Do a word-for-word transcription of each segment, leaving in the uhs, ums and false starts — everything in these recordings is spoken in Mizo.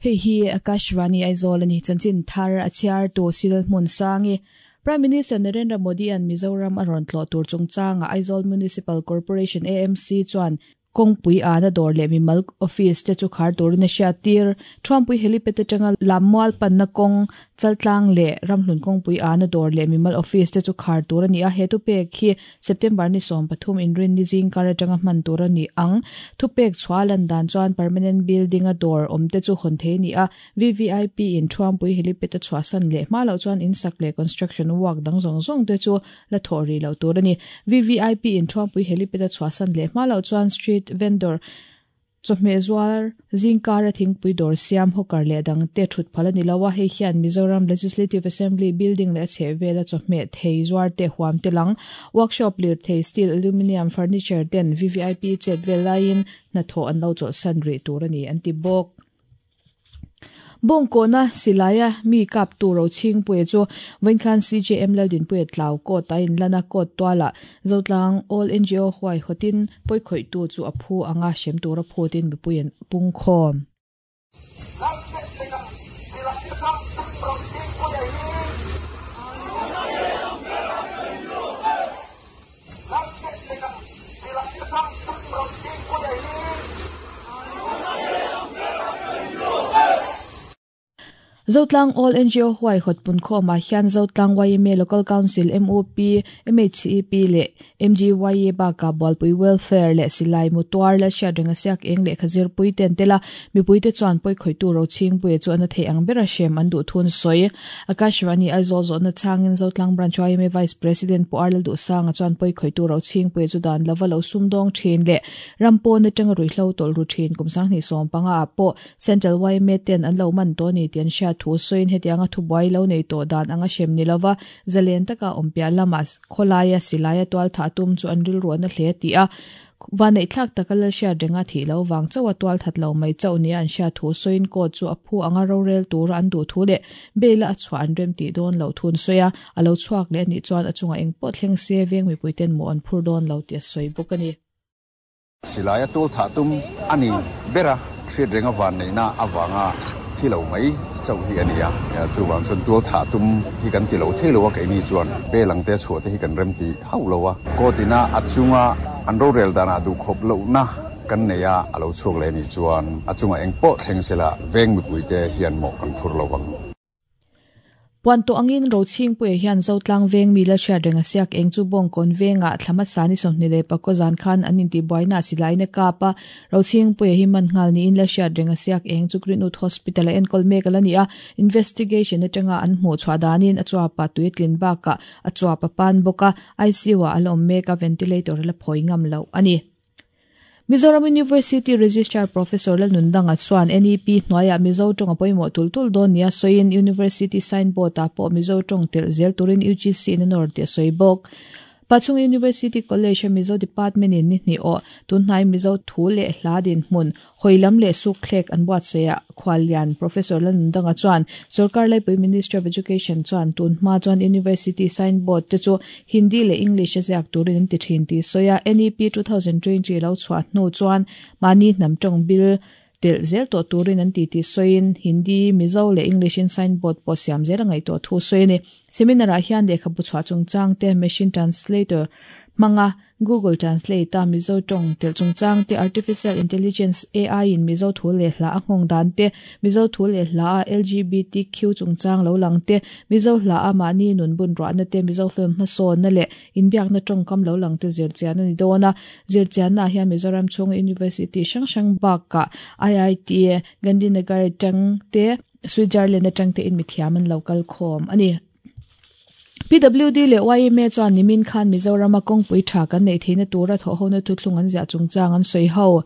Hei hi Akashvani Aizawl ani chanchin thar a chhiar tu sil hmun sangi Prime Minister Narendra Modi an Mizoram a rawn tlawh tur chungchanga Aizawl Municipal Corporation A M C chuan kawngpui ana dawr leh mimal office te chu khar turin a hriat tir Thuampui helipad atanga lammual panna kawng chaltlang leh ramhlun kawngpui ana dawr leh mimal office te chu khar tur ani a he thupek hi September ni sawm pathum inrin ni zing kar atanga hman tur ani ang thupek chhualan dan chuan permanent building a dawr awm te chu hawn thei ni a V V I P in Thuampui helipad a chhuahsan leh hma loh chuan in sak leh construction work dang zawng zawng te chu la thawh ri loh tur ani V V I P in Thuampui helipad a chhuahsan leh hma loh chuan street vendor chawhmeh zuar zingkar a thingpui dawr siam hawker leh dang te thut phal ani lo a hei hian Mizoram Legislative Assembly building leh a chhehvel a chawhmeh thei zuar te huam te lang workshop lir thei steel aluminium furniture ten V V I P chet vel laiin hnathawh an lo chawlhsan rih tur ani an ti bawk. Bawngkawna silaya mi kap tu ro ching pui chu Vawinkhan C J M Laldin pui tlau ko ta in lana ko twala Zotlang All N G O huai hotin poi khoi tu chu aphu anga shem tura phutin mipuian pungkhom. Zotlang All N G O huai hot pun khoma hian Zotlang Y M A Local Council M O P M H E P le M G Y A ba ka Bualpui Welfare le Silai Mutuar le Hriatrenga siak eng le khazir pui ten tela mipui te chuan poi khoi tu ro ching pui chu ana thei ang bera shem an du thun soi Akashvani Aizawl zawhna changin Zotlang Branch Y M A Vice President Pu Arlal Du Sanga chuan poi khoi tu ro ching pui chu dan lova lo sumdawng thin le rampon atanga ruihhlo tawlh ru thin kum sanghnih sawm panga pawh Central Y M A ten an lo man to ni tian hriat thu soin hetianga thubuai lo nei to dan anga shem ni lova zalen taka awmpia lama khawlaia silaia tual tha tum chu an ril ruan a hle ti a vanei thlak taka lal hriatrenga thi lo wang chawa tual that lo mai chau ni an hriat thu soin ko chu a phu anga rorel tur an du thu le bela a chhuah an rem ti dawn lo thun soya alo chhuak le ni chuan a chunga eng pawh thleng se veng mipui ten mu an phur dawn lo ti a sawi bawk ani silaya tual tha tum ani bera hriatrenga van neina awanga thi lo mai chau hi ania chu wang chun tual tha tum hi kan ti lo thei lo a keini chuan pelang te chhuah te hi kan rem ti hau lo a kotina achunga an ro rel dana du khop lo na kan neia alo chhuak le ni chuan achunga eng pawh thleng sela veng mipui te hian mo kan phur lo wang. Puan to angin ro ching pui hian Zotlang veng mi la hriatrenga siak eng chu bawngkawn venga thlama sani sawmhnih leh pakua zan khan an inti buaina silaina kapa ro ching pui hi man nghal niin la hriatrenga siak eng chu Greenwood Hospital a enkawl mek ala ni a investigation atanga an hmuh chhuah danin a chuapa tuitlin baka a chuapa pan bawka I C U a ala awm mek a ventilator la phawi ngam lo ani. Mizoram University Registrar Professor Lalnundanga chuan N E P hnuaia Mizo tawng a pawimawh tul tul dawn nia sawiin University signboard ah pawh Mizo tawng telh zel turin U G C in a nawr tih a sawi bawk. Pachung University College a Mizo Department in ni hnih aw tunhnai Mizo thu leh hla din hmun hoilam leh suk thlek an buatsaih ah Khuallian Professor Lalnundanga chuan Sarkar Laipui Ministry of Education chuan tunhma chuan University signboard te chu Hindi leh English a ziak turin an ti thin tih sawi a N E P two thousand twenty lo chhuah hnu chuan mahni hnam tawng bil telh zel tawh turin an ti tih sawiin Hindi Mizo leh English in signboard pawh siam zel a ngaih tawh thu sawi ani. Seminar ah hian lehkhabu chhuah chungchang te machine translator hmanga Google Translate a Mizo tawng telh chungchang te artificial intelligence A I in Mizo thu leh hla a nghawng dan te Mizo thu leh hla a L G B T Q chungchang lo lang te Mizo hla a mahni nun bun ruahna te Mizo film hmasawnna leh inbiakna tawngkam lo lang te zirchian ani dawn a zirchianna ah hian Mizoram chhung University hrang hrang bakah I I T Gandhinagar tang te Switzerland atang te in mithiam an lo kal khawm ani. P W D le Y M A chuan nimin khan Mizoram a kawngpui tha kan nei theihna tura thawh hona thuthlung an ziah chungchang an sawi ho.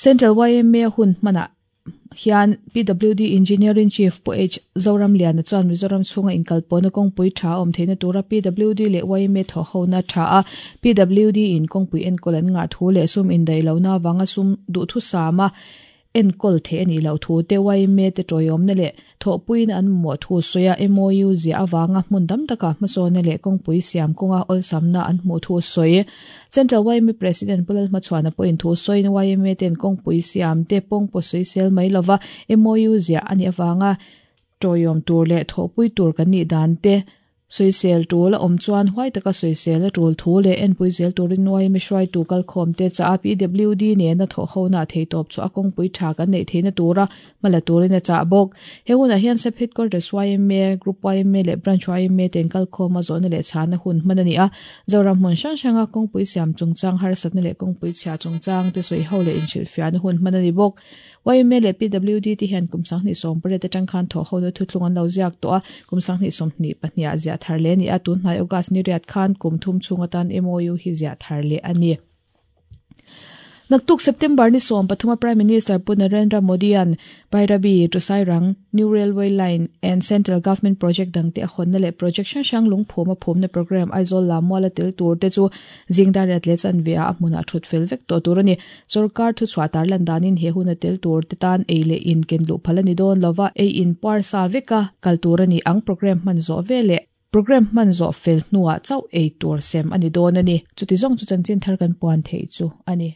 Central Y M A hun hmana hian P W D Engineering Chief Pu H Zoram Liana chuan Mizoram chhunga inkalpawna kawngpui tha awm theihna tura P W D leh Y M A thawh hona tha a P W D in kawngpui enkawl an ngah thu leh sum indaih lohna awanga sum duh thu sama Enkol the ani lo thu te Y M A te toyom na le thopuin an mo thu soya M O U zia awanga hmun dam taka hmasawn le kawngpui siam kawnga awlsamna an hmu thu sawi. Central Y M A President Pulal Hmachhuana pawhin thu sawiin Y M A ten kawngpui siam te pawng pawh sawi sel mai lova M O U zia ani awanga toyom tur le thawhpui tur kan nih dan te sawisel tul a awm chuan huai taka sawisel a tul thu leh enpui zel turin Y M A hruaitu kalkhawm te cha a P W D nena thawh hona thei tawp chu a kawngpui tha kan neih theihna tura hmala turin a chah bawk. He hunah hian Sub Headquarters Y M A, Group Y M A leh Branch Y M A ten kalkhawm a zawhna leh chhana hun hman a ni a. Zoram hmun hrang hranga kawngpui siam chungchang harsatna leh kawngpui chhia chungchang te sawi ho leh inhrilhfiahna hun hman a ni bawk. Y M A leh P W D te hian kum sanghnih sawm pariat atang khan thawh hona thuthlung an lo ziak tawh a, kum sanghnih sawmhnih pahnih ah ziah thar leh a ni a, tunhnai August ni riat khan kum thum chhung atan M O U hi ziah thar leh a ni. Naktuk September ni sawm pathuma Prime Minister Pu Narendra Modi an Bairabi to Sairang New Railway Line and Central Government Project dangte a hawnna leh project hrang hrang lungphum a phumna program Aizawl Lammual a tel tur te chu zingdar riat leh chanve ah a hmunah thut fel vek tawh tur a ni. Sorkar thuchhuah tarlan danin he hun a tel tur te tan ei leh in ken luh phal a ni dawn lova, ei in puar sa veka kal tur a ni ang. Program hman zawh veleh program hman zawh fel hnuah chauh ei tur sem a ni dawn a ni. Chuti zawng chu chanchin thar kan puan theih chu a ni.